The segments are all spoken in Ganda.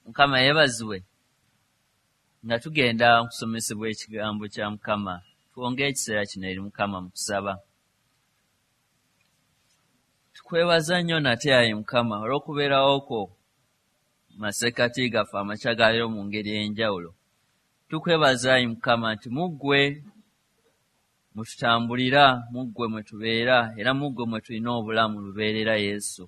Mukama yeebazibwe. Nga tugenda okusomesebwa ekigambo kya Mukama, twongere ekiseera kino eri Mukama mu kusaba. Tukwebaza nnyo nate ayi Mukama olw'okubeerawo kwo mu masekkati gaffe amakya ga leero mu ngeri ey'enjawulo. Tukwebaza ayi Mukama nti mu ggwe mwe tutambulira, mu ggwe mwe tubeera, era mu ggwe mwe tulina obulamu lubeerera Yesu.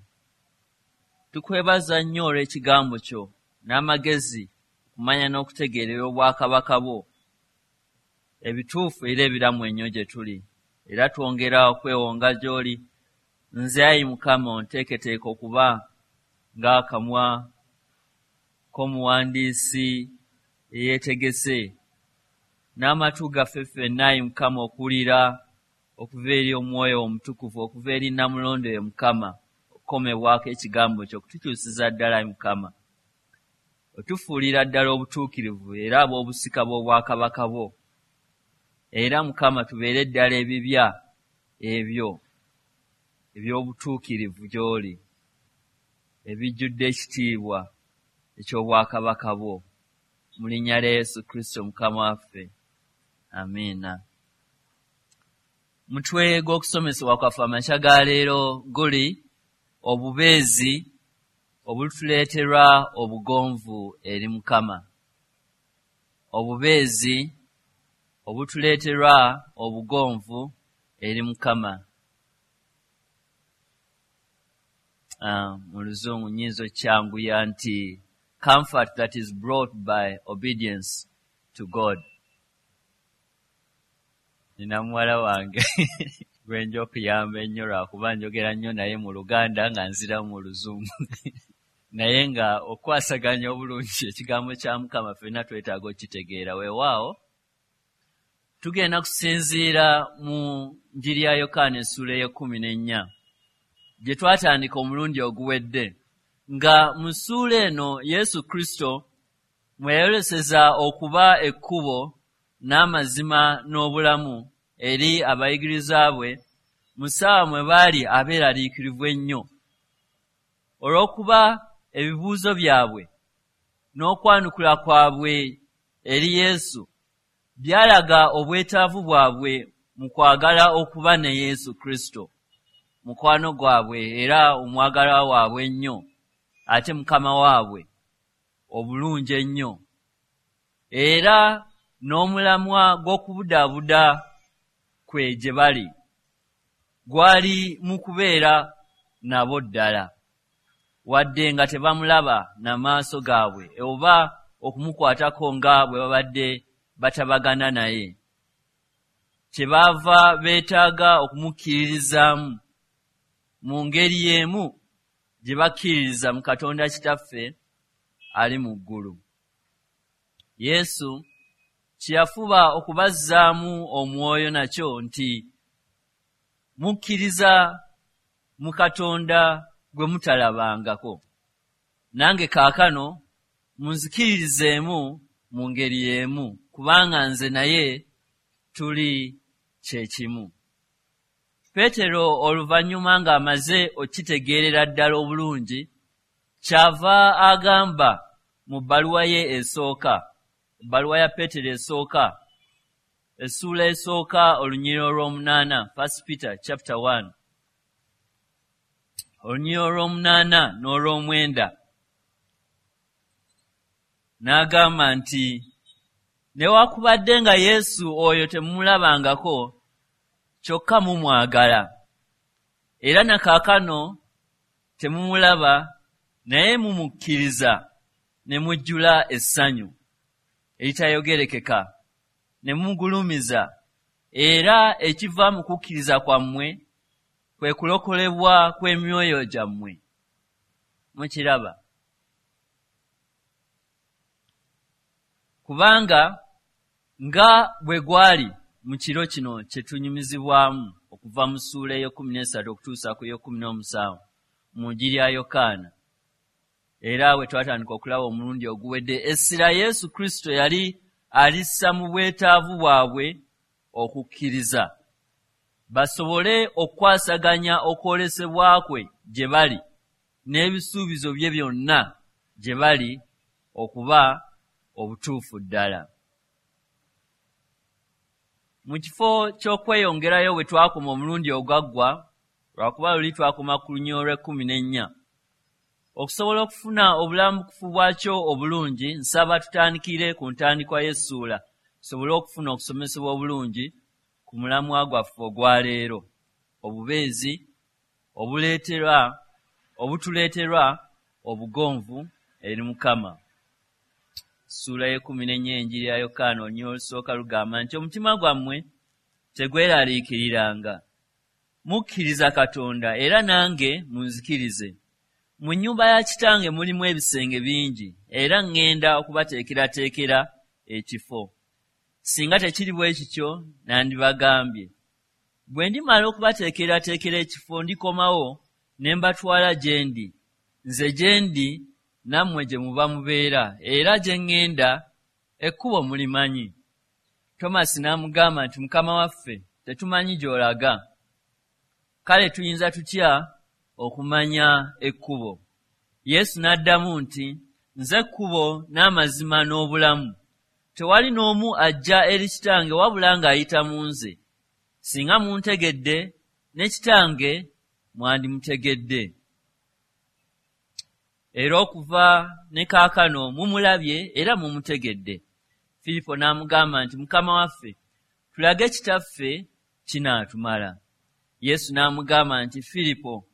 Tukwebaza nnyo olw'ekigambo kyo n'amagezi okumanya n'okutegeerera obwakabaka bwo ebituufu era ebiramu ennyo gye tuli. Era twongera okwewonga gy'oli. Nze ayi Mukama onteeketeeka okuba ng'akamwa k'omuwandiisi eyeetegese n'amatu gaffe ffenna ayi Mukama okuwulira okuva eri Omwoyo Omutukuvu, okuva eri Nnamulondo ye Mukama, okukomebwako ekigambo kyo okutukyusiza ddala ayi Mukama. Otufuulira ddala obutuukirivu era ab'obusika bw'obwakabaka bwo. Era Mukama tubeere ddala ebibya ebyo eby'obutuukirivu gy'oli, ebijjudde ekitiibwa eky'obwakabaka bwo. Mu linnya lya Yesu Kristo Mukama waffe. Amiina. Mutwe gw'okusomesebwa kwaffe amakya ga leero guli obubeezi obutuleeterwa obugonvu eri Mukama. Obubeezi obutuleeterwa obugonvu eri Mukama. Mu Luzungu nnyinza okukyanguya nti comfort that is brought by obedience to God. Nina muwala wange gwe nja okuyamba ennyo lwakuba njogera nnyo naye mu Luganda nga nziramu mu Luzungu. Naye nga okwasaganya obulungi ekigambo kya Mukama ffenna twetaaga okukitegeera. Weewaawo tugenda kusinziira mu Njiri ya Yokaana essuula ey'ekkumi n'ennya gye twatandika omulundi oguwedde, nga mu ssuula eno Yesu Kristo mwe yayoleseza okuba ekkubo n'amazima n'obulamu eri abayigiriza bwe mu ssaawa mwe baali abeeraliikirivu ennyo olw'okuba ebibuuzo byabwe n'okwanukula kwabwe eri Yesu byalaga obwetaavu bwabwe mu kwagala okuba ne Yesu Kristo, mukwano gwabwe era omwagalwa waabwe ennyo ate Mukama waabwe obulungi ennyo, era n'omulamwa gw'okubudaabuda kwe gye bali gwali mu kubeera nabo ddala, wadde nga tebamulaba na maaso gaabwe oba okumukwatako nga bwe babadde batabagana naye. Kyebaava beetaaga okumukkiririzaamu mu ngeri y'emu gye bakkiririza mu Katonda Kitaffe ali mu ggulu. Yesu kye yafuba okubazzaamu omwoyo nakyo nti, Mukkiriza mu Katonda gwe mutalabangako, nange kaakano munzikiririzeemu mu ngeri y'emu, kubanga nze naye tuli kye kimu. Peetero oluvannyuma ng'amaze okukitegeerera ddala obulungi, ky'ava agamba mu bbaluwa ye esooka, ebbaluwa ya Peetero esooka, essuula esooka olunyiriri olw'omunaana, First Peter chapter 1, olunyiriri olw'omunaana n'olw'omwenda, n'agamba nti, Newaakubadde nga Yesu oyo temumulabangako, kyokka mumwagala. Era na kaakano temumulaba, naye mumukkiriza ne mujjula essanyu eritayogerekeka, ne mugulumiza, era ekiva mu kukkiriza kwammwe kwe kulokolebwa kw'emyoyo gyammwe. Mukiraba? Kubanga nga bwe gwali mu kiro kino kye tunyumizibwamu okuva mu ssuula ey'ekkumi n'esatu okutuusa ku y'ekkumi n'omusanvu mu Njiri ya Yokaana, era bwe twatandika okulaba omulundi oguwedde, essira Yesu Kristo yali alissa mu bwetaavu bwabwe okukkiriza basobole okukwasaganya okwolesebwa kwe gye bali n'ebisuubizo bye byonna gye bali. okuba obutuufu ddala. Mu kifo ky'okweyongerayo bwe twakoma omulundi ogwaggwa, lwakuba luli twakoma ku lunyiriri olw'ekkumi n'ennya, okusobola okufuna obulambukufu bwakyo obulungi, nsaba tutandikire ku ntandikwa y'essuula tusobole okufuna okusomesebwa obulungi ku mulamwa gwaffe ogwaleero, obubeezi obutuleeterwa obugonvu eri Mukama. Ssuula y'ekkumi n'ennya Enjiri ya Yokaana olunyiriri olusooka lugamba nti omutima gwammwe tegweraliikiriranga. Mukkiriza Katonda era nange munzikirize. Mu nnyumba ya Kitange mulimu ebisenge bingi, era ŋŋenda okubateekerateekera ekifo. Singa tekiri bwe kityo nandibagambye. Bwe ndimala okubateekerateekera ekifo ndikomawo ne mbatwala gye ndi. Nze gye ndi nammwe gye muba mubeera, era gye ŋŋenda ekkubo mulimanyi. Tomasi n'amugamba nti Mukama waffe, tetumanyi gy'olaga. Kale tuyinza tutya okumanya ekkubo? Yesu n'addamu nti nze kkubo n'amazima n'obulamu. Tewali n'omu ajja eri Kitange wabula ng'ayita mu nze. Singa muntegedde, ne Kitange mwandimutegedde. Era okuva ne kaakano mumulabye era mumutegedde. Firipo n'amugamba nti Mukama waffe, tulage Kitaffe kinaatumala. Yesu n'amugamba nti Firipo,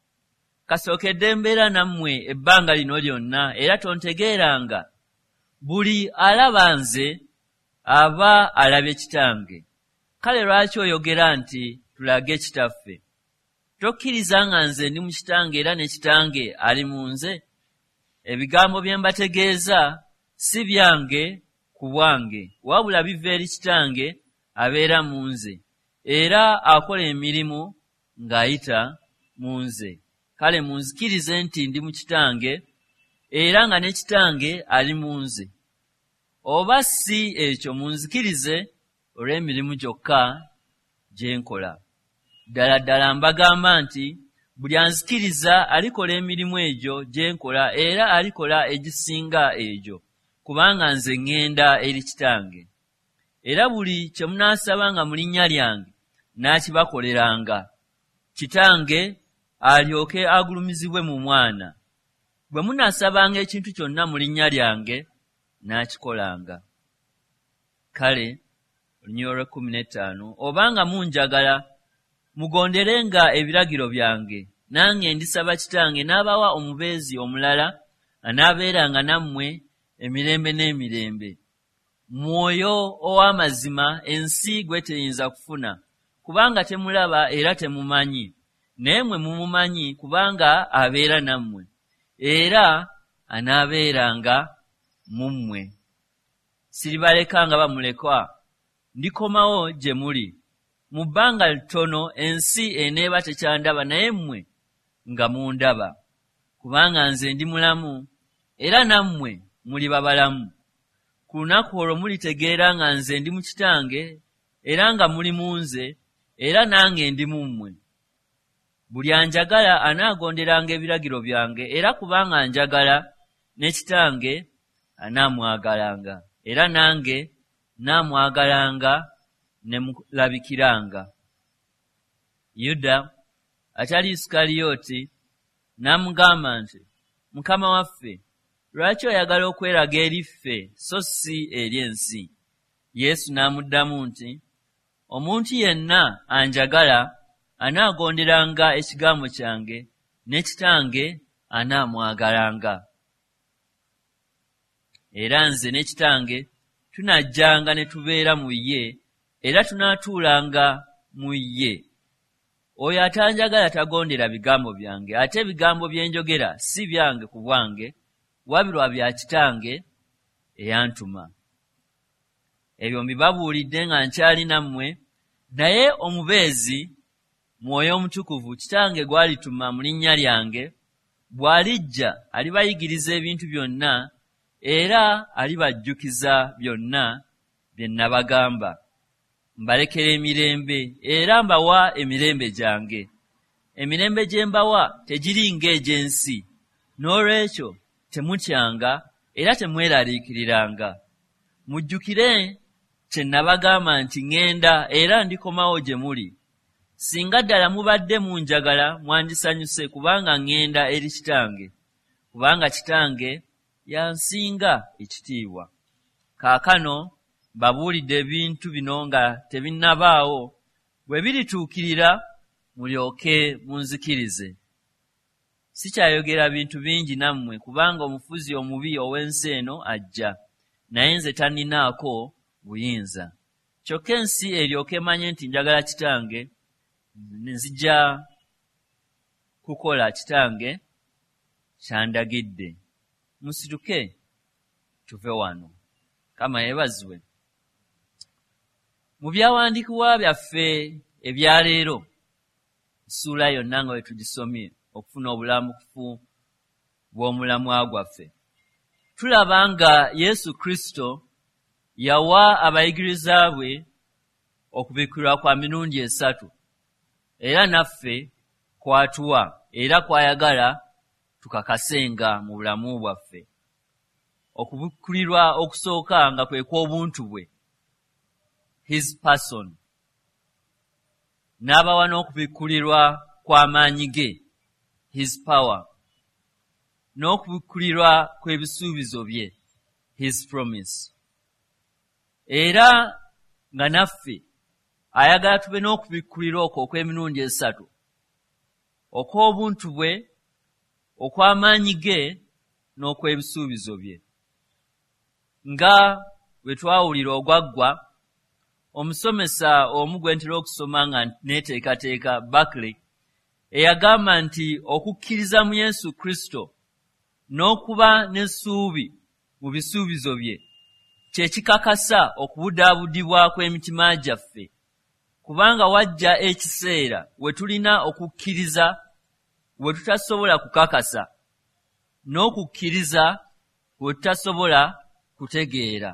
kasookedde mbeera nammwe ebbanga lino lyonna era tontegeeranga? Buli alaba nze aba alabye Kitange. Kale lwaki oyogera nti tulage Kitaffe? Tokkiriza nga nze ndi mu Kitange era ne Kitange ali mu nze? Ebigambo bye mbategeeza si byange ku bwange, wabula biva eri Kitange abeera mu nze, era akola emirimu ng'ayita mu nze. Kale munzikirize nti ndi mu Kitange era nga ne Kitange ali mu nze. Oba si ekyo munzikirize olw'emirimu gyokka gye nkola. Ddala ddala mbagamba nti buli anzikiriza alikola emirimu egyo gye nkola era alikola egisinga egyo, kubanga nze ŋŋenda eri Kitange. Era buli kye munaasabanga mu linnya lyange n'akibakoleranga, Kitange alyoke agulumizibwe mu Mwana. Bwe munaasabanga ekintu kyonna mu linnya lyange n'akikolanga. Kale olunyiriri olw'ekkumi n'ettaano, obanga munjagala mugonderenga ebiragiro byange, nange ndisaba Kitange n'abawa omubeezi omulala anaabeeranga nammwe emirembe n'emirembe. Mwoyo ow'amazima ensi gwe teyinza kufuna, kubanga temulaba era temumanyi, naye mmwe mumumanyi kubanga abeera nammwe, era anaabeeranga mu mmwe. Siribaleka nga bamulekwa, ndikomawo gye muli. Mu bbanga ttono ensi eneeba tekyandaba, naye mmwe nga mundaba. Kubanga nze ndi mulamu, era nammwe muliba balamu. Ku lunaku olwo mulitegeera nga nze ndi mu Kitange, era nga muli mu nze, era nange ndi mu mmwe. Buli anjagala anaagonderanga ebiragiro byange, era kubanga njagala, ne Kitange anaamwagalanga, era nange naamwagalanga ne mulabikiranga. Yuda atali Isukalyoti n'amugamba nti Mukama waffe, lwaki oyagala okweraga eri ffe so si eri ensi? Yesu n'amuddamu nti omuntu yenna anjagala anaagonderanga ekigambo kyange, ne Kitange anaamwagalanga. Era nze ne Kitange tunajjanga ne tubeera mu ye, era tunaatuulanga mu ye. Oyo atanjagala tagondera bigambo byange, ate ebigambo bye njogera si byange ku bwange, wabula bya Kitange eyantuma. Ebyo mbibabuulidde nga nkyali nammwe, naye omubeezi Mwoyo Omutukuvu Kitange gw'alituma mu linnya lyange, bw'alijja alibayigiriza ebintu byonna era alibajjukiza byonna bye nabagamba. Mbalekera emirembe era mbawa emirembe gyange. Emirembe gye mbawa tegiri ng'egy'ensi. N'olwekyo temutyanga Era temweraliikiriranga. Mujjukire kye nabagamba nti ŋŋenda era ndikomawo gye muli. Singa ddala mubadde munjagala mwandisanyuse kubanga ŋŋenda eri Kitange, kubanga Kitange yansinga ekitiibwa. Kaakano mbabuulidde ebintu bino nga tebinnabaawo, bwe birituukirira mulyoke munzikirize. Sikyayogera bintu bingi nammwe kubanga omufuzi omubi ow'ensi eno ajja, naye nze tanninaako buyinza. Kyokka ensi eryoke emanye nti njagala Kitange, nzija kukola Kitange ky'andagidde. Musituke tuve wano. Mukama yeebazibwe. Mu byawandiikibwa byaffe ebya leero, essuula yonna nga bwe tugisomye okufuna obulambukufu bw'omulamwa gwaffe, tulaba nga Yesu Kristo yawa abayigiriza bwe okubikkulirwa kwa mirundi esatu, era naffe kwatuwa era kwayagala tukakasenga mu bulamu bwaffe. Okubikkulirwa okusooka nga kwe kw'obuntu bwe, his person, n'abawa n'okubikkulirwa kw'amaanyi ge, his power, n'okubikkulirwa kw'ebisuubizo bye, his promise. Era nga naffe ayagala tube n'okubikkulirwa okwo okw'emirundi esatu, okw'obuntu bwe, okw'amaanyi ge, n'okw'ebisuubizo bye. Nga bwe twawulira ogwaggwa, omusomesa omu gwe ntera okusoma nga neeteekateeka, Barclay, eyagamba nti okukkiriza mu Yesu Kristo n'okuba n'essuubi mu bisuubizo bye kye kikakasa okubudaabudibwa kw'emitima gyaffe, kubanga wajja ekiseera we tulina okukkiriza we tutasobola kukakasa n'okukkiriza we tutasobola kutegeera.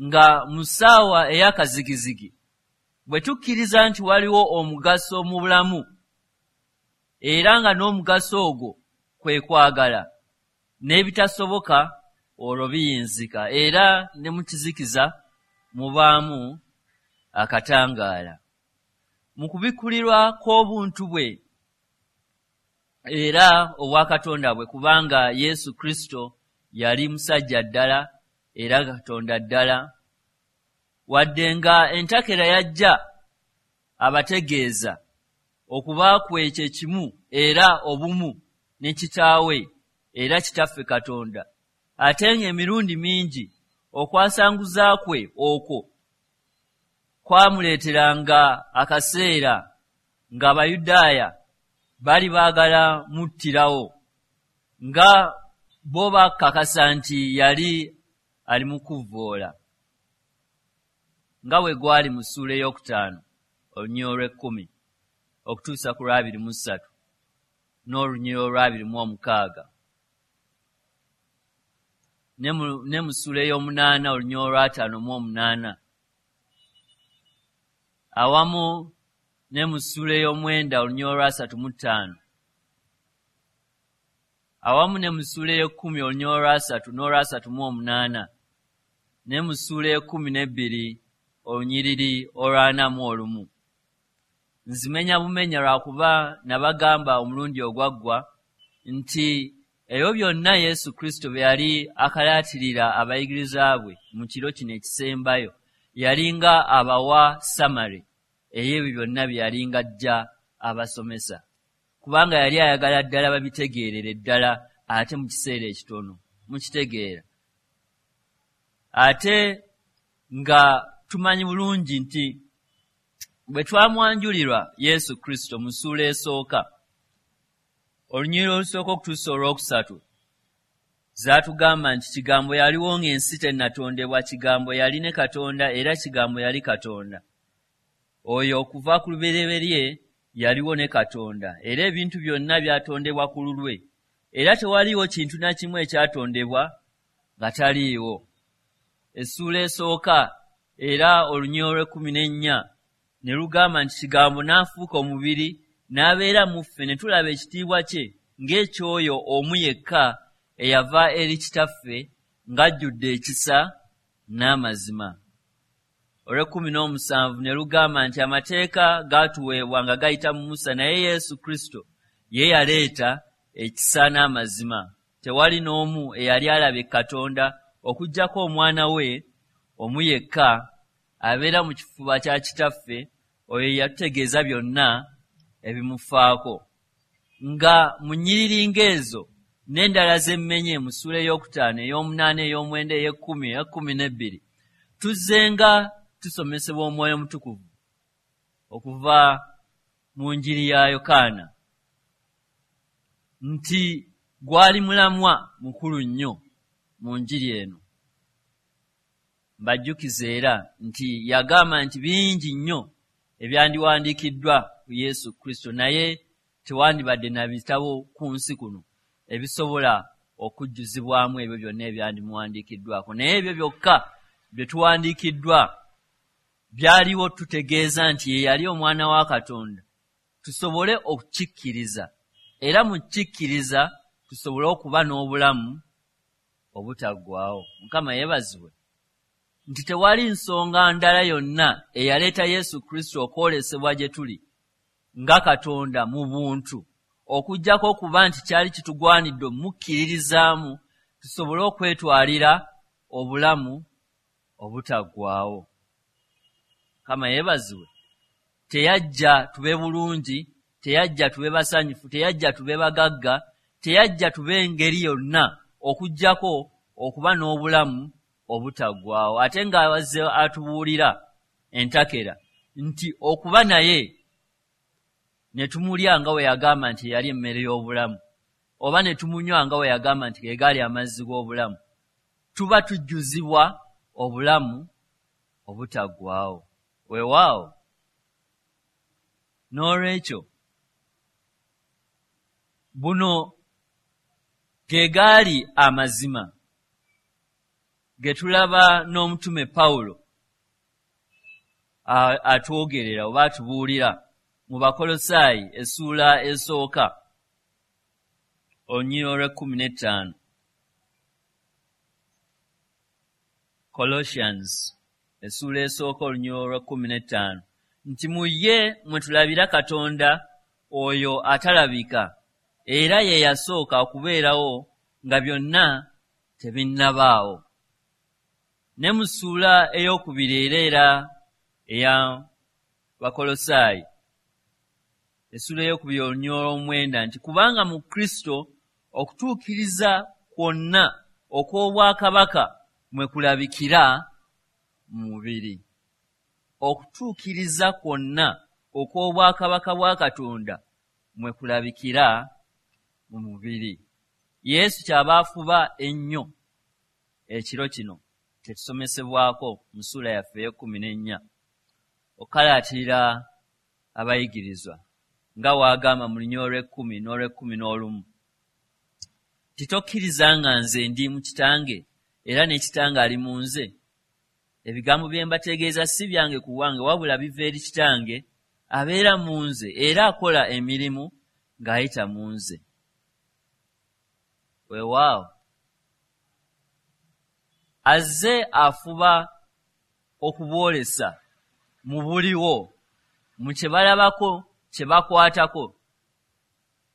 Nga mu ssaawa ey'akazigizigi bwe tukkiriza nti waliwo omugaso mu bulamu, era nga n'omugaso ogwo kwe kwagala, n'ebitasoboka olwo biyinzika, era ne mu kizikiza mubaamu akatangaala. Mu kubikkulirwa kw'obuntu bwe era obwakatonda bwe, kubanga Yesu Kristo yali musajja ddala era Katonda ddala, wadde nga entakera yajja abategeeza okuba kwe kye kimu era obumu ne Kitaawe era Kitaffe Katonda, ate ng'emirundi mingi okwasanguza kwe okwo kwamuleeteranga akaseera ng'Abayudaaya bali baagala muttirawo, nga bo bakakasa nti yali ali mu kuvvoola, nga bwe gwali mu ssuula ey'okutaano olunyiriri olw'ekkumi okutuusa ku lw'abiri mu ssatu n'olunyiriri olw'abiri mu omukaaga, ne mu ssuula ey'omunaana olunyiriri olw'ataano mu omunaana, awamu ne mu ssuula ey'omwenda olunyiriri olw'asatu mu ttaano, awamu ne mu ssuula ey'ekkumi olunyiriri olw'asatu n'olw'asatu mu omunaana, ne mu ssuula ey'ekkumi n'ebbiri olunyiriri olw'ana mu olumu. Nzimenya bumenya lwakuba nabagamba omulundi ogwaggwa nti ebyo byonna Yesu Kristo bye yali akalaatirira abayigiriza bwe mu kiro kino ekisembayo, yalinga abawa summary ey'ebyo byonna bye yalinga ajja abasomesa, kubanga yali ayagala ddala babitegeerere ddala ate mu kiseera ekitono. Mukitegeera? Ate nga tumanyi bulungi nti bwe twamwanjulirwa Yesu Kristo mu ssuula esooka olunyiriri olusooka okutuusa olwokusatu, zaatugamba nti Kigambo yaliwo ng'ensi tennatondebwa, Kigambo yali ne Katonda, era Kigambo yali Katonda. Oyo okuva ku lubereberye yaliwo ne Katonda, era ebintu byonna byatondebwa ku lulwe, era tewaliiwo kintu na kimu ekyatondebwa nga taliiwo. Essuula esooka era olunyiriri olw'ekkumi n'ennya ne lugamba nti Kigambo n'afuuka omubiri n'abeera mu ffe, ne tulaba ekitiibwa kye ng'ekyoyo omu yekka eyava eri Kitaffe ng'ajjudde ekisa n'amazima. Olw'ekumi n'omusanvu ne lugamba nti amateeka gaatuweebwa nga gayita mu Musa, naye Yesu Kristo ye yaleeta ekisa n'amazima. Tewali n'omu eyali alabye Katonda okuggyako Omwana we omu yekka abeera mu kifuba kya Kitaffe, oyo yatutegeeza byonna ebimufaako. Nga mu nnyiriri ng'ezo n'endala z'emmenye mu ssuula ey'okutaano, ey'omunaana, ey'omwenda, ey'ekkumi, ey'ekkumi n'ebbiri, tuzzenga tusomesebwa Omwoyo Omutukuvu okuva mu njiri ya Yokaana nti gwali mulamwa mukulu nnyo mu njiri eno. Mbajjukiza era nti yagamba nti bingi nnyo ebyandiwandiikiddwa ku Yesu Kristo, naye tewandibadde na bitabo ku nsi kuno ebisobola okujjuzibwamu ebyo byonna ebyandimuwandiikiddwako. Naye ebyo byokka bye tuwandiikiddwa byaliwo tutegeeza nti ye yali Omwana wa Katonda, tusobole okukikkiriza, era mu kikkiriza tusobole okuba n'obulamu obutaggwaawo. Mukama yeebazibwe nti tewali nsonga ndala yonna eyaleeta Yesu Kristo okwolesebwa gye tuli nga Katonda mu buntu, okuggyako okuba nti kyali kitugwanidde omukkiririzaamu tusobole okwetwalira obulamu obutaggwaawo. Mukama yeebazibwe. Teyajja tube bulungi, teyajja tube basanyufu, teyajja tube bagagga, teyajja tube engeri yonna okuggyako okuba n'obulamu obutaggwaawo. Ate ng'azze atubuulira entakera nti okuba naye ne tumulya nga we yagamba nti yali emmere y'obulamu, oba ne tumunywa nga we yagamba nti ge gaali amazzi g'obulamu, tuba tujjuzibwa obulamu obutaggwaawo. Weewaawo, n'olwekyo buno ge gaali amazima ge tulaba n'omutume Pawulo atwogerera oba atubuulira mu Bakolosaayi essuula esooka, olunyiriri olw'ekkumi n'ettaano. Colossians essuula esooka, olunyiriri olw'ekkumi n'ettaano, nti mu ye mwe tulabira Katonda oyo atalabika, era ye yasooka okubeerawo nga byonna tebinnabaawo. Ne mu ssuula ey'okubiri era eya Bakolosaayi, essuula ey'okubiri, olunyiriri olw'omwenda, nti kubanga mu Kristo okutuukiriza kwonna okw'obwakabaka mwe kulabikira mu mubiri. Okutuukiriza kwonna okw'obwakabaka bwa Katonda mwe kulabikira mu mubiri. Yesu kyaba afuba ennyo ekiro kino kyetusomesebwako mu ssuula yaffe ey'ekkumi n'ennya okukalaatirira abayigirizwa, nga waagamba mu lunyiriri olw'ekkumi n'olw'ekkumi n'olumu nti tokkiriza nga nze ndi mu Kitange era ne Kitange ali mu nze? Ebigambo bye mbategeeza si byange ku bwange, wabula biva eri Kitange abeera mu nze era akola emirimu ng'ayita mu nze. Weewaawo, azze afuba okuboolesa mu buliwo, mu kye balabako, kye bakwatako,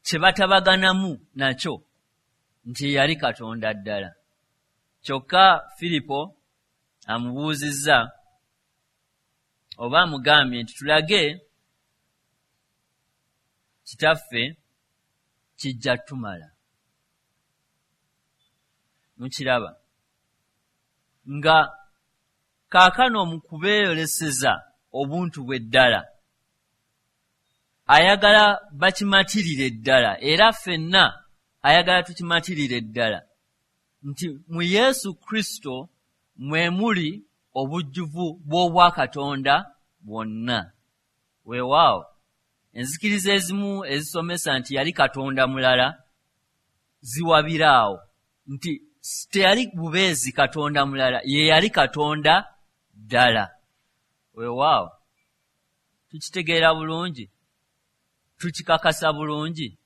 kye batabaganamu nakyo, nti yali Katonda ddala. Kyokka Firipo amubuuzizza oba amugambye nti tulage Kitaffe, kijja tumala. Mukiraba nga kaakano mu kubeeyoleseza obuntu bwe ddala ayagala bakimatirire ddala, era ffenna ayagala tukimatirire ddala nti mu Yesu Kristo mwe muli obujjuvu bw'obwakatonda bwonna. Weewaawo, enzikiriza ezimu ezisomesa nti yali Katonda mulala ziwabiraawo nti teyali bubeezi Katonda mulala, ye yali Katonda ddala. Weewaawo, tukitegeera bulungi, tukikakasa bulungi.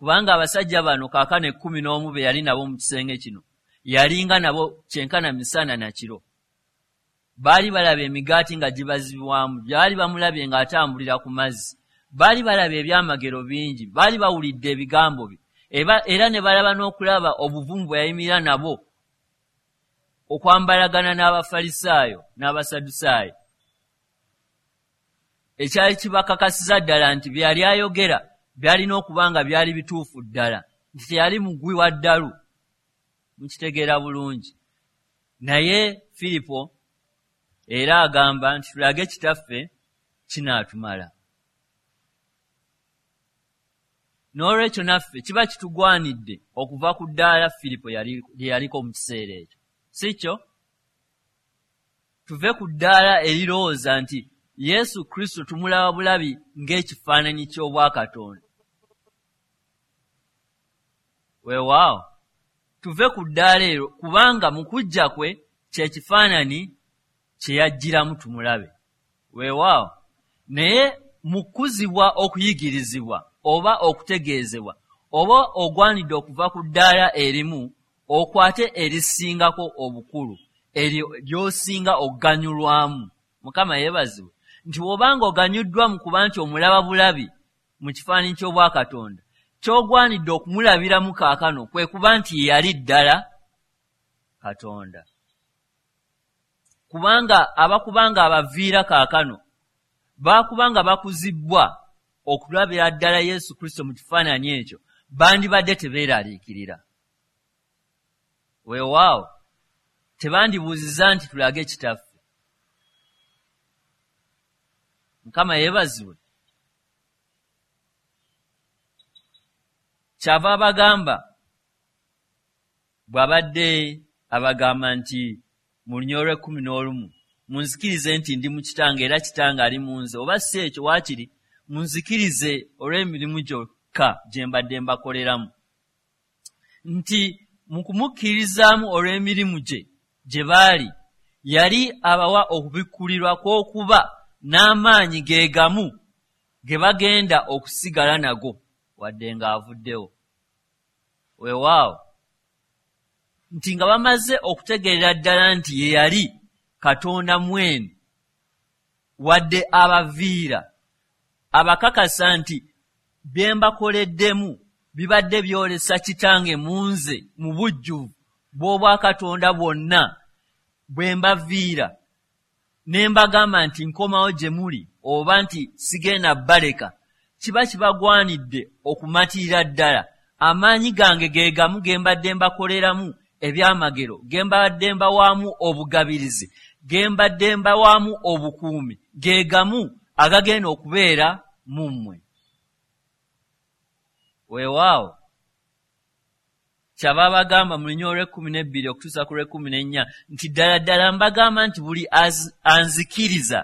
Kubanga abasajja bano kaakano 11 be yali nabo mu kisenge kino, yalinga nabo kyenkana misana na kiro. Baali balaba emigaati nga gibazibwamu, baali bamulabye ng'atambulira ku mazzi, baali balaba ebyamagero bingi, baali bawulidde ebigambo bye, era ne balaba n'okulaba obuvumu bwe yayimirira nabo okwambalagana n'Abafalisaayo n'Abasadusaayo. Ekyali kibakakasiza ddala nti bye yali ayogera byalina okuba nga byali bituufu ddala, nti teyali mugwi wa ddalu. Mukitegeera bulungi. Naye Firipo era agamba nti tulage Kitaffe kinaatumala. N'olwekyo naffe kiba kitugwanidde okuva ku ddaala Firipo lye yaliko mu kiseera ekyo, si kyo? Tuve ku ddaala erirowooza nti Yesu Kristo tumulaba bulabi ng'ekifaananyi ky'obwakatonda. Weewaawo, tuve ku ddaala eryo, kubanga mu kujja kwe kye kifaananyi kye yajjiramu tumulabe. Weewaawo, naye mu kukuzibwa okuyigirizibwa oba okutegeezebwa, oba ogwanidde okuva ku ddaala erimu okwate erisingako obukulu, eryo ly'osinga okuganyulwamu. Mukama yeebazibwe nti bw'obanga oganyuddwa mu kuba nti omulaba bulabi mu kifaananyi ky'obwakatonda, ky'ogwanidde okumulabiramu kaakano kwe kuba nti ye yali ddala Katonda. Kubanga abakubanga abaviira kaakano baakubanga bakuzibbwa okulabira ddala Yesu Kristo mu kifaananyi ekyo, bandibadde tebeeraliikirira. Weewaawo, tebandibuuzizza nti tulage Kitaffe. Mukama yeebazibwe. Kyava abagamba bw'abadde abagamba nti mu lunyiriri olw'ekkumi n'olumu, munzikirize nti ndi mu Kitange era Kitange ali mu nze, oba si ekyo waakiri munzikirize olw'emirimu gyokka gye mbadde mbakoleramu. Nti mu kumukkirizaamu olw'emirimu gye gye baali, yali abawa okubikkulirwa kw'okuba n'amaanyi ge gamu ge bagenda okusigala nago wadde ng'avuddewo. Weewaawo, nti nga bamaze okutegeerera ddala nti ye yali Katonda mwene, wadde abaviira, abakakasa nti bye mbakoleddemu bibadde byolesa Kitange mu nze mu bujjuvu bw'obwakatonda bwonna bwe mbaviira, ne mbagamba nti nkomawo gye muli oba nti sigenda baleka, kiba kibagwanidde okumatirira ddala amaanyi gange ge gamu ge mbadde mbakoleramu ebyamagero, ge mbadde mbawaamu obugabirizi, ge mbadde mbawaamu obukuumi, ge gamu agagenda okubeera mu mmwe. Weewaawo, kyava abagamba mu lunyiriri olw'ekkumi n'ebbiri okutuusa ku lw'ekkumi n'ennya nti ddala ddala mbagamba nti buli anzikiriza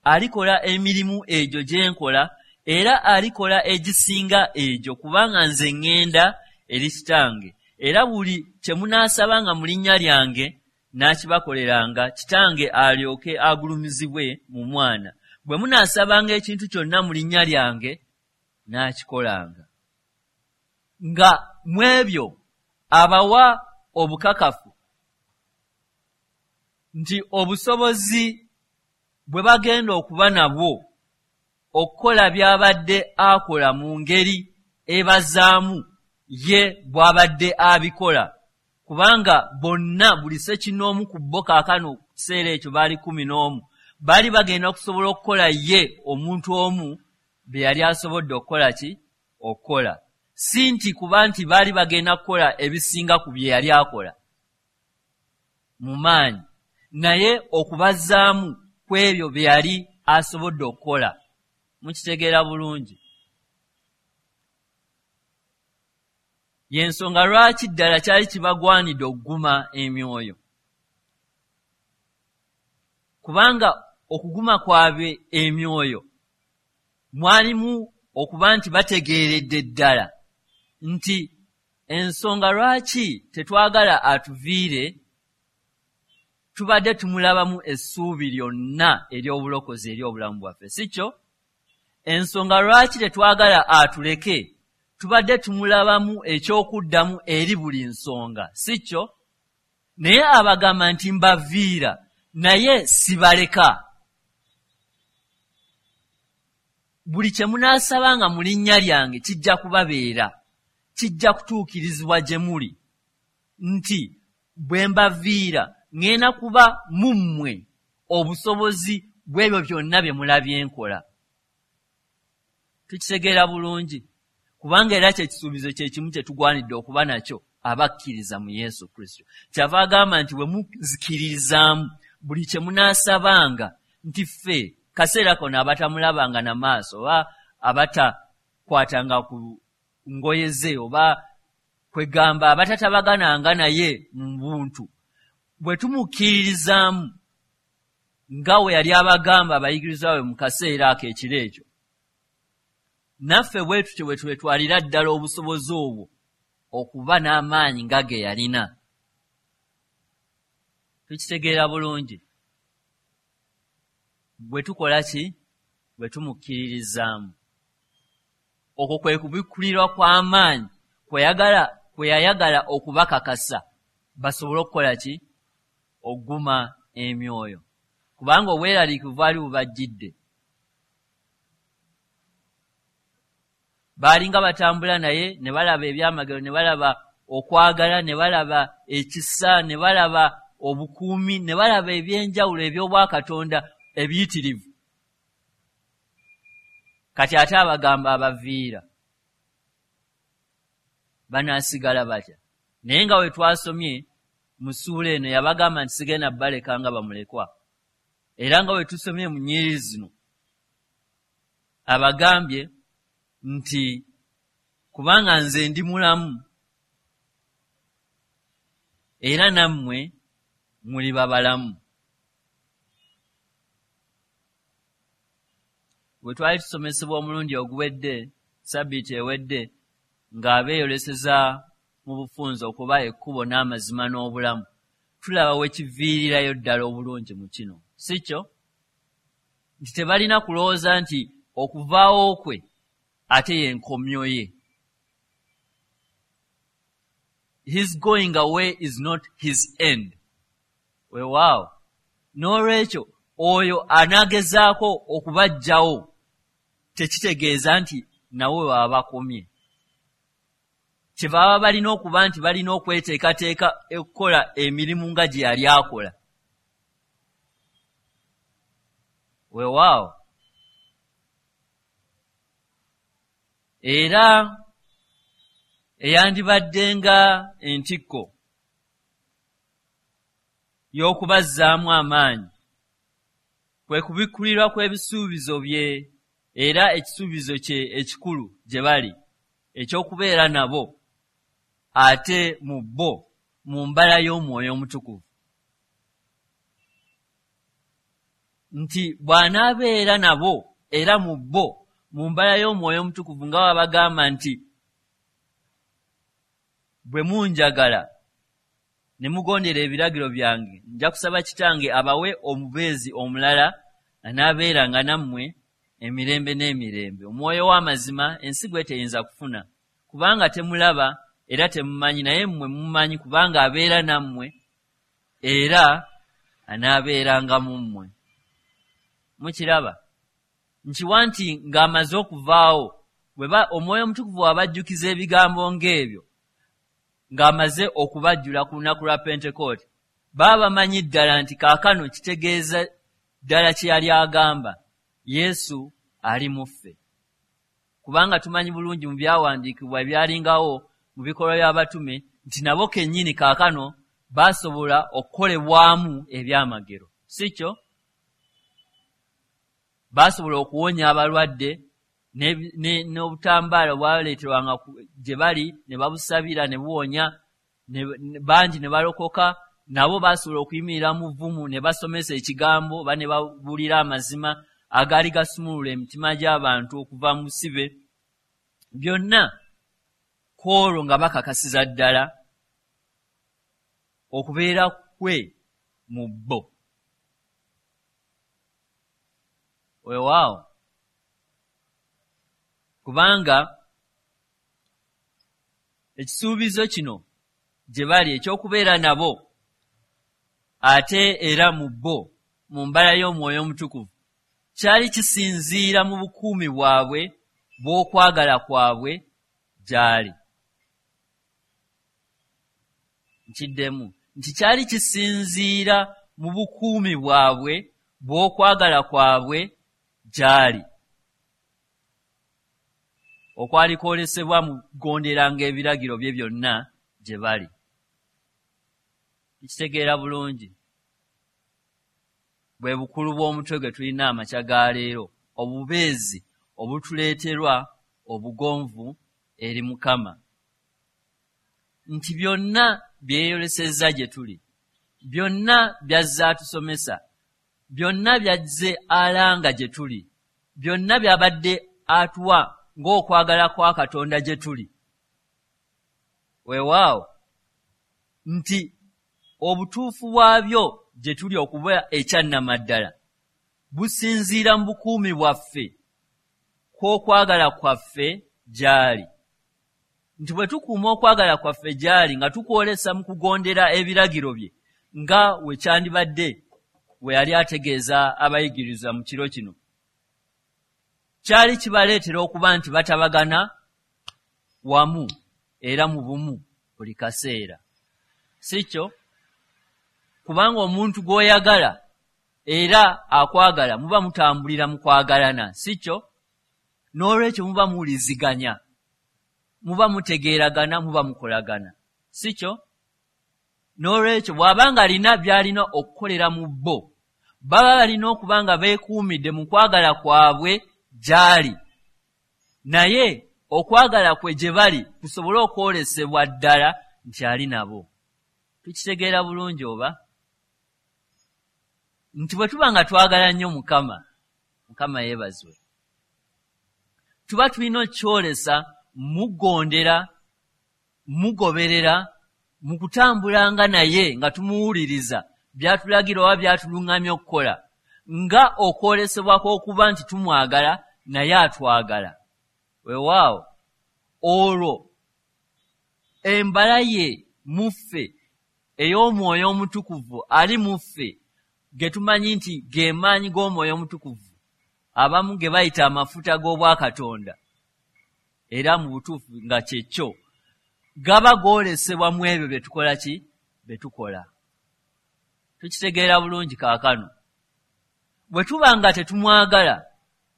alikola emirimu egyo gye nkola, era alikola egisinga egyo, kubanga nze ŋŋenda eri Kitange. Era buli kye munaasabanga mu linnya lyange n'akibakoleranga, Kitange alyoke agulumizibwe mu Mwana. Bwe munaasabanga ekintu kyonna mu linnya lyange n'akikolanga. Nga mu ebyo abawa obukakafu nti obusobozi bwe bagenda okuba nabwo okukola by'abadde akola mu ngeri ebazaamu ye bw'abadde abikola, kubanga bonna buli ssekinnoomu ku bo kaakano ku kiseera ekyo baali 11, baali bagenda okusobola okukola ye omuntu omu bye yali asobodde okukola ki? Okukola. Si nti kuba nti baali bagenda kukola ebisinga ku bye yali akola mu maanyi, naye okubazaamu ku ebyo bye yali asobodde okukola. Mukitegeera bulungi. Y'ensonga lwaki ddala kyali kibagwanidde okuguma emyoyo, kubanga okuguma kwabwe emyoyo mwalimu okuba nti bategeeredde ddala nti ensonga lwaki tetwagala atuviire, tubadde tumulabamu essuubi lyonna ery'obulokozi eri obulamu bwaffe, si kyo? Ensonga lwaki tetwagala atuleke, Tubadde tumulabamu ekyokuddamu eri buli nsonga, si kyo? Naye abagamba nti mbaviira, naye sibaleka. Buli kye munaasabanga mu linnya lyange kijja kubabeera, kijja kutuukirizibwa gye muli, nti bwe mbaviira ŋŋenda kuba mu mmwe obusobozi bw'ebyo byonna bye mulabye nkola. Tukitegeera bulungi, kubanga era kye kisuubizo kye kimu kye tugwanidde okuba nakyo abakkiriza mu Yesu Kristo. Kyava agamba nti bwe muzikiririzaamu buli kye munaasabanga, nti ffe kaseera kano abatamulabanga na maaso oba abatakwatanga ku ngoye ze oba kwegamba abatatabagananga naye mu buntu, bwe tumukkiririzaamu nga we yali abagamba abayigirizwa be mu kaseera ako ekiro ekyo, naffe bwe tutyo bwe twetwalira ddala obusobozi obwo okuba n'amaanyi nga ge yalina. Tukitegeera bulungi. Bwe tukola ki? Bwe tumukkiririzaamu. Okwo kwe kubikkulirwa kw'amaanyi kwe yayagala okubakakasa basobole okukola ki? Okuguma emyoyo, kubanga obweraliikirivu bwali bubajjidde. Baalinga batambula naye ne balaba ebyamagero, ne balaba okwagala, ne balaba ekisa, ne balaba obukuumi, ne balaba ebyenjawulo eby'obwakatonda ebiyitirivu. Kati ate abagamba abaviira banaasigala batya? Naye nga we twasomye mu ssuula eno yabagamba nti sigenda baleka nga bamulekwa. Era nga we tusomye mu nnyiriri zino abagambye nti kubanga nze ndi mulamu era nammwe muli babalamu. Bwe twali tusomesebwa omulundi oguwedde, sabbiiti ewedde, ng'abeeyoleseza mu bufunze okuba ekkubo n'amazima n'obulamu, tulaba we kiviirirayo ddala obulungi mu kino, si kyo? Nti tebalina kulowooza nti okuvaawo kwe ate y'enkomyo ye. His going away is not his end. Weewaawo. N'olwekyo oyo anaagezaako okubaggyawo tekitegeeza nti nawe baba bakomye. Kye baba balina okuba nti balina okweteekateeka okukola emirimu nga gye yali akola. Weewaawo. Era eyandibadde nga entikko y'okubazzaamu amaanyi kwe kubikkulirwa kw'ebisuubizo bye era ekisuubizo kye ekikulu gye bali eky'okubeera nabo ate mu bo mu mbala y'Omwoyo Omutukuvu, nti bw'anaabeera nabo era mu bo mu mbala y'Omwoyo Omutukuvu, nga babagamba nti bwe munjagala ne mugondera ebiragiro byange, nja kusaba Kitange abawe omubeezi omulala anaabeeranga nammwe emirembe n'emirembe. Omwoyo w'amazima ensi gwe teyinza kufuna, kubanga temulaba era temumanyi, naye mmwe mumumanyi, kubanga abeera nammwe era anaabeeranga mu mmwe. Mukiraba? Nkiwa nti ng'amaze okuvaawo, Omwoyo Omutukuvu abajjukiza ebigambo ng'ebyo ng'amaze okubajjula ku lunaku lwa Pentekooti, baba bamanyi ddala nti kaakano kitegeeza ddala kye yali agamba, Yesu ali mu ffe. Kubanga tumanyi bulungi mu byawandiikibwa ebyalingawo mu bikolwa by'abatume nti nabo kennyini kaakano baasobola okukolebwamu ebyamagero, si kyo? Baasobola okuwonya abalwadde n'obutambaala obwaleeterwanga gye bali ne babusabira ne buwonya, bangi ne balokoka. Nabo baasobola okuyimirira mu vvumu ne basomesa ekigambo oba ne babuulira amazima agaali gasumulula emitima gy'abantu okuva mu busibe. Byonna ku olwo nga bakakasiza ddala okubeera kwe mu bo. Weewaawo, kubanga Ekisuubizo kino gye bali eky'okubeera nabo ate era mu bo mu mbala y'Omwoyo Omutukuvu kyali kisinziira mu bukuumi bwabwe bw'okwagala kwabwe gy'ali. Nkiddemu nti kyali kisinziira mu bukuumi bwabwe bw'okwagala kwabwe gy'ali, okwali kwolesebwa mu kugonderanga ebiragiro bye byonna gye bali. Tukitegeera bulungi bwe bukulu bw'omutwe gwe tulina amakya ga leero, obubeezi obutuleeterwa obugonvu eri Mukama, nti byonna byeyolesezza gye tuli, byonna byazze atusomesa, byonna byazze alanga gye tuli, byonna byabadde atuwa ng'okwagala kwa Katonda gye tuli. Weewaawo nti obutuufu bwabyo gye tuli okuba ekyannamaddala businziira mu bukuumi bwaffe kw'okwagala kwaffe gy'ali, nti bwe tukuuma okwagala kwaffe gy'ali nga tukwolesa mu kugondera ebiragiro bye, nga we kyandibadde we yali ategeeza abayigirizwa mu kiro kino, kyali kibaleetera okuba nti batabagana wamu era mu bumu buli kaseera. Si kyo? Kubanga omuntu gw'oyagala era akwagala muba mutambulira mu kwagalana, si kyo? N'olwekyo muba muwuliziganya, muba mutegeeragana, muba mukolagana, si kyo? N'olwekyo bw'aba nga alina by'alina okukolera mu bo, baba balina okuba nga beekuumidde mu kwagala kwabwe gy'ali, naye okwagala kwe gye bali kusobole okwolesebwa ddala nti ali nabo. Tukitegeera bulungi oba? Nti bwe tuba nga twagala nnyo Mukama, Mukama yeebazibwe, tuba tulina okukyolesa mugondera, mugoberera, mu kutambulanga naye nga tumuwuliriza by'atulagira oba by'atuluŋŋamya okukola, nga okwolesebwa kw'okuba nti tumwagala naye atwagala. Weewaawo olwo embala ye mu ffe ey'Omwoyo Omutukuvu ali mu ffe, ge tumanyi nti ge maanyi g'Omwoyo Omutukuvu, abamu ge bayita amafuta g'Obwakatonda, era mu butuufu nga kyekyo, gaba goolesebwa mu ebyo bye tukola ki? Bye tukola. Tukitegeera bulungi kaakano. Bwe tuba nga tetumwagala,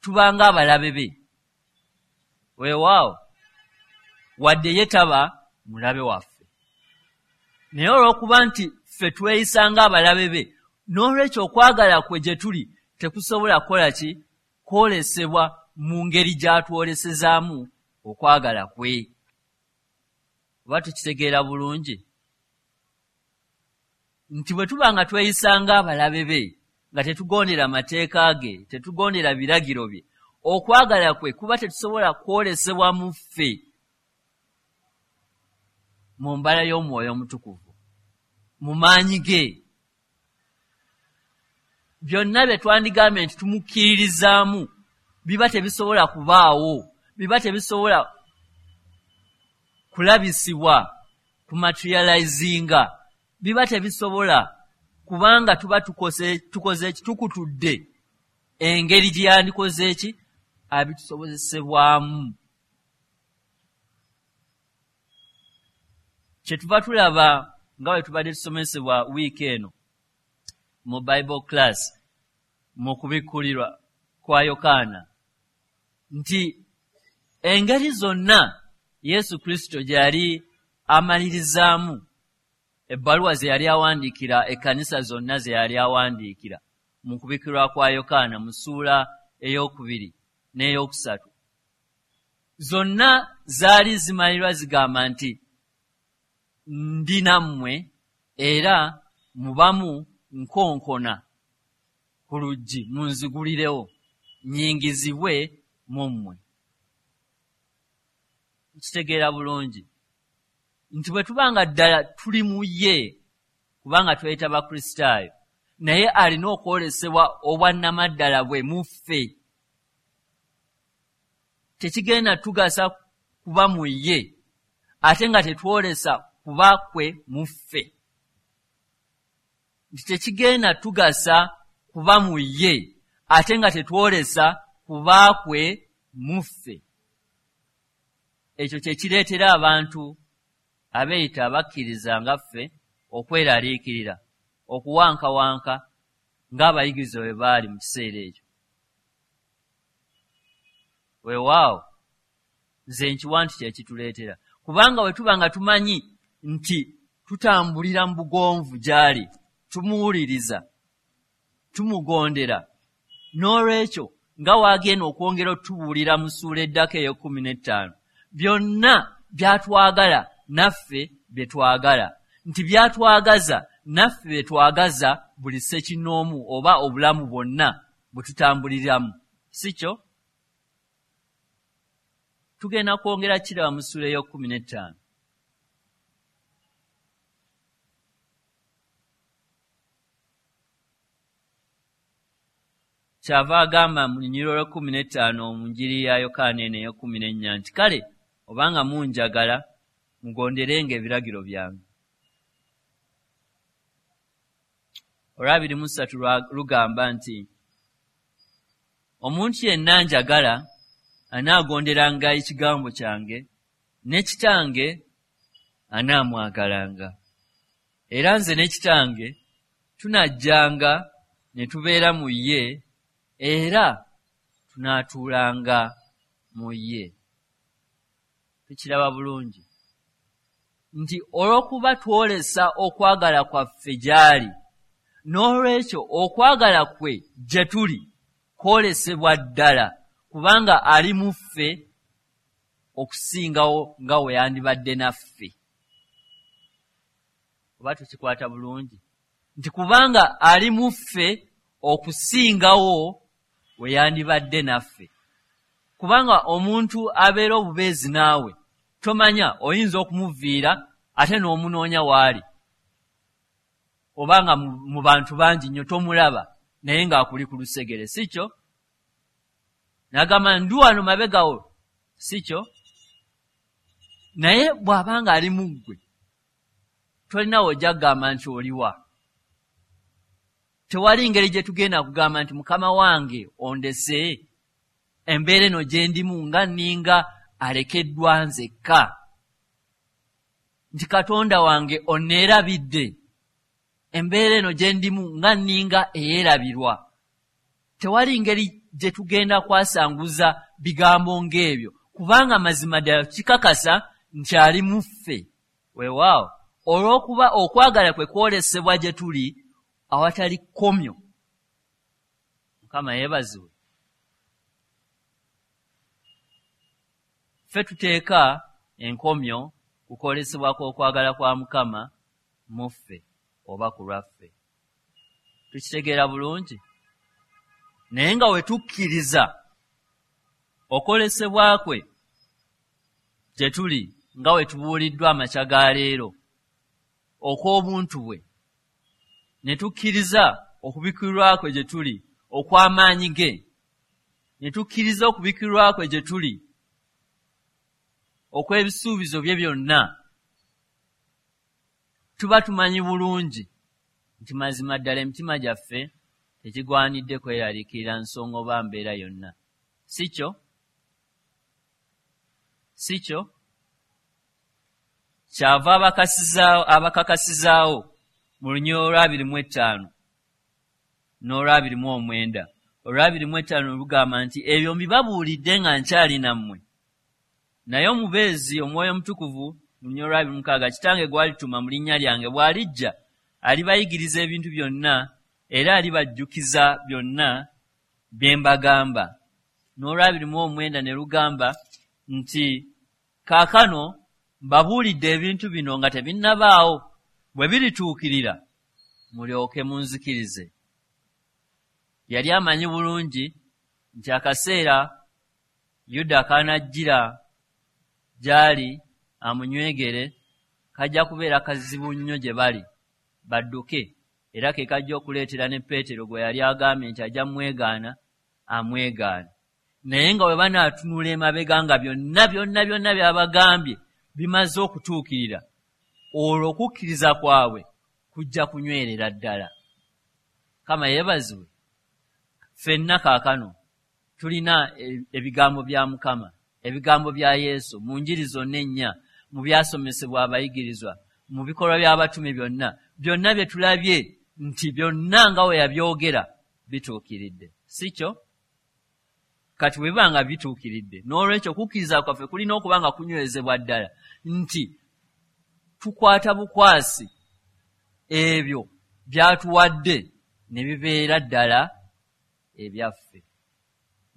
tuba ng'abalabe be. Weewaawo, wadde ye taba mulabe waffe, naye olw'okuba nti ffe tweyisa ng'abalabe be, n'olwekyo okwagala kwe gye tuli tekusobola kukola ki? Kwolesebwa mu ngeri gy'atwolesezaamu okwagala kwe. Oba tukitegeera bulungi nti bwe tuba nga tweyisa ng'abalabe be, nga tetugondera mateeka ge, tetugondera biragiro bye, okwagala kwe kuba tetusobola kwolesebwa mu ffe mu mbala y'Omwoyo Omutukuvu, mu maanyi ge. Byonna bye twandigambye nti tumukkiririzaamu biba tebisobola kubaawo, biba tebisobola kulabisibwa, kumaterializinga, biba tebisobola, kubanga tuba tukoze eki? Tukutudde engeri gye yandikoze eki? Abitusobozesebwamu. Kye tuva tulaba nga bwe tubadde tusomesebwa wiiki eno mu Bible class mu kubikkulirwa kwa Yokaana, nti engeri zonna Yesu Kristo gye yali amalirizaamu ebbaluwa ze yali awandiikira ekkanisa zonna ze yali awandiikira mu kubikkulirwa kwa Yokaana mu ssuula 2 n'ey'okusatu, zonna zaali zimalirwa zigamba nti ndi nammwe era mubamu nkonkona ku luggi munzigulirewo nnyingizibwe mu mmwe. Nkitegeera bulungi nti bwe tuba nga ddala tuli mu ye, kubanga tweyita Bakristaayo, naye alina okwolesebwa obwannamaddala bwe mu ffe. Tekigenda tugasa kuba mu ye ate nga tetwolesa kuba kwe mu ffe. Nti tekigenda tugasa kuba mu ye ate nga tetwolesa kuba kwe mu ffe. Ekyo kye kireetera abantu abeeyita abakkiriza nga ffe okweraliikirira, okuwankawanka ng'abayigirizwa bwe baali mu kiseera ekyo. Weewaawo nze nkiwa nti kye kituleetera, kubanga bwe tuba nga tumanyi nti tutambulira mu bugonvu gy'ali, tumuwuliriza, tumugondera, n'olwekyo nga waagenda okwongera otubuulira mu ssuula eddako ey'e15, byonna by'atwagala naffe bye twagala, nti by'atwagaza naffe bye twagaza buli ssekinnoomu oba obulamu bwonna bwe tutambuliramu, si kyo? Tugenda kwongera kiraba mu ssuula ey'e15. Kyava agamba mu lunyiriri olw'e15 mu njiri ya Yokaana eno ey'e14 nti kale obanga munjagala mugonderenga ebiragiro byange. Olw'23 lugamba nti omuntu yenna njagala anaagonderanga ekigambo kyange, ne kitange anaamwagalanga, era nze ne kitange tunajjanga ne tubeera mu ye, era tunaatuulanga mu ye. Tukiraba bulungi nti olw'okuba twolesa okwagala kwaffe gy'ali, n'olwekyo okwagala kwe gye tuli kwolesebwa ddala, kubanga ali mu ffe okusingawo nga we yandibadde naffe. Oba tukikwata bulungi nti kubanga ali mu ffe okusingawo we yandibadde naffe. Kubanga omuntu abeera obubeezi naawe tomanya, oyinza okumuviira ate n'omunoonya waali, obanga mu bantu bangi nnyo tomulaba naye ng'akuli ku lusegere, si kyo? N'agamba ndi wano mabegawo, si kyo? Naye bw'abanga ali mu ggwe tolina w'ojja kugamba nti oliwa. Tewali ngeri gye tugenda kugamba nti mukama wange ondese, embeera eno gye ndimu nga nninga alekeddwa nzekka, nti Katonda wange onneerabidde, embeera eno gye ndimu nga nninga eyeerabirwa. Tewali ngeri gye tugenda kwasanguza bigambo ng'ebyo, kubanga mazima ddala kikakasa nti ali mu ffe. Weewaawo olw'okuba okwagala kwe kwolesebwa gye tuli awatali kkomyo. Mukama yeebazibwe. Ffe tuteeka enkomyo ku kwolesebwa kw'okwagala kwa Mukama mu ffe oba ku lwaffe. Tukitegeera bulungi? Naye nga we tukkiriza okwolesebwa kwe gye tuli nga we tubuuliddwa amakya ga leero okw'obuntu bwe, ne tukkiriza okubikkulirwa kwe gye tuli okw'amaanyi ge, ne tukkiriza okubikkulirwa kwe gye tuli okw'ebisuubizo bye byonna, tuba tumanyi bulungi nti mazima ddala emitima gyaffe tekigwanidde kweraliikirira nsonga oba mbeera yonna, si kyo? Si kyo? Kyava abakakasizaawo mu lunyiriri olw'25 n'olw'29. Olw'25 lugamba nti ebyo mbibabuulidde nga nkyali nammwe, naye omubeezi Omwoyo Omutukuvu mu lunyiriri olw'26, Kitange gw'alituma mu linnya lyange bw'alijja alibayigiriza ebintu byonna era alibajjukiza byonna bye mbagamba. N'olw'29 ne lugamba nti kaakano mbabuulidde ebintu bino nga tebinnabaawo, bwe birituukirira mulyoke munzikirize. Yali amanyi bulungi nti akaseera Yuda k'anajjira gy'ali amunywegere kajja kubeera kazibu nnyo gye bali badduke, era ke kajja okuleetera ne Peetero gwe yali agambye nti ajja mwegaana amwegaana. Naye nga bwe banaatunula emabega nga byonna byonna byonna by'abagambye bimaze okutuukirira, olwo okukkiriza kwabwe kujja kunywerera ddala. Mukama yeebazibwe. Ffenna kaakano tulina ebigambo bya Mukama, ebigambo bya Yesu mu njiri zonna ennya, mu byasomesebwa abayigirizwa, mu bikolwa by'abatume byonna, byonna bye tulabye nti byonna nga we yabyogera bituukiridde, si kyo? Kati bwe biba nga bituukiridde, n'olwekyo okukkiriza kwaffe kulina okuba nga kunywezebwa ddala nti tukwata bukwasi ebyo byatuwadde ne bibeera ddala ebyaffe,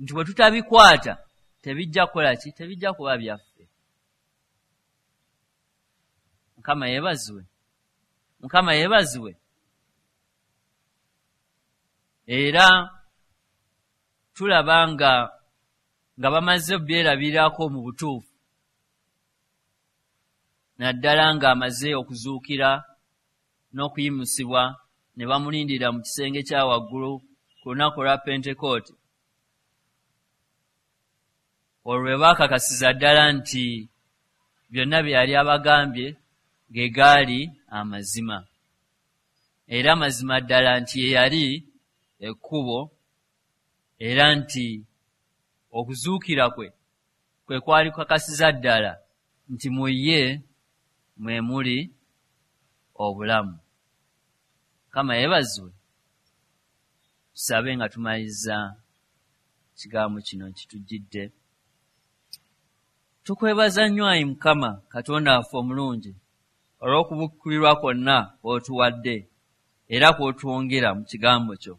nti bwe tutabikwata tebijja kukola ki? Tebijja kuba byaffe. Mukama yeebazibwe. Mukama yeebazibwe. Era tulaba nga bamaze obyerabirako mu butuufu, naddala ng'amaze okuzuukira n'okuyimusibwa ne bamulindirira mu kisenge kya waggulu ku lunaku lwa Pentekooti. Olwo lwe baakakasiza ddala nti byonna bye yali abagambye ge gaali amazima, era mazima ddala nti ye yali ekkubo, era nti okuzuukira kwe kwe kwali kukakasiza ddala nti mu ye mwe muli obulamu. Mukama yeebazibwe. Tusabe nga tumaliriza ekigambo kino kitujjidde. Tukwebaza nnyo ayi Mukama Katonda waffe omulungi olw'okubikkulirwa kwonna kw'otuwadde era kw'otwongera mu kigambo kyo.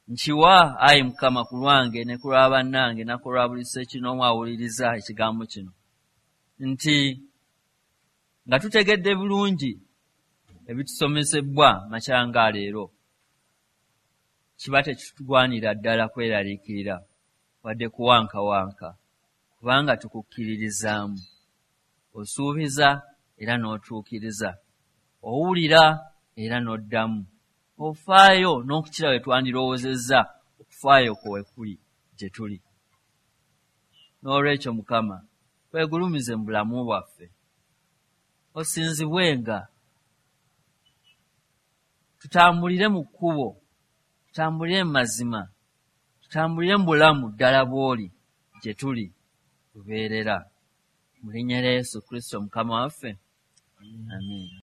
Nkiwa ayi Mukama ku lwange ne ku lwa bannange na ku lwa buli ssekinoomu awuliriza ekigambo kino, nti nga tutegedde bulungi ebitusomesebwa makya nga leero, kiba tekitugwanira ddala kweraliikirira wadde kuwankawanka, kubanga tukukkiririzaamu. Osuubiza era n'otuukiriza, owulira era n'oddamu, ofaayo n'okukira we twandirowoozezza okufaayo kwe kuli gye tuli. N'olwekyo Mukama, weegulumize mu bulamu bwaffe, osinzibwenga, tutambulire mu kkubo, tutambulire mu mazima, tutambulire mu bulamu ddala bw'oli gye tuli lubeerera. Mu linnya lya Yesu Kristo Mukama waffe, amiina.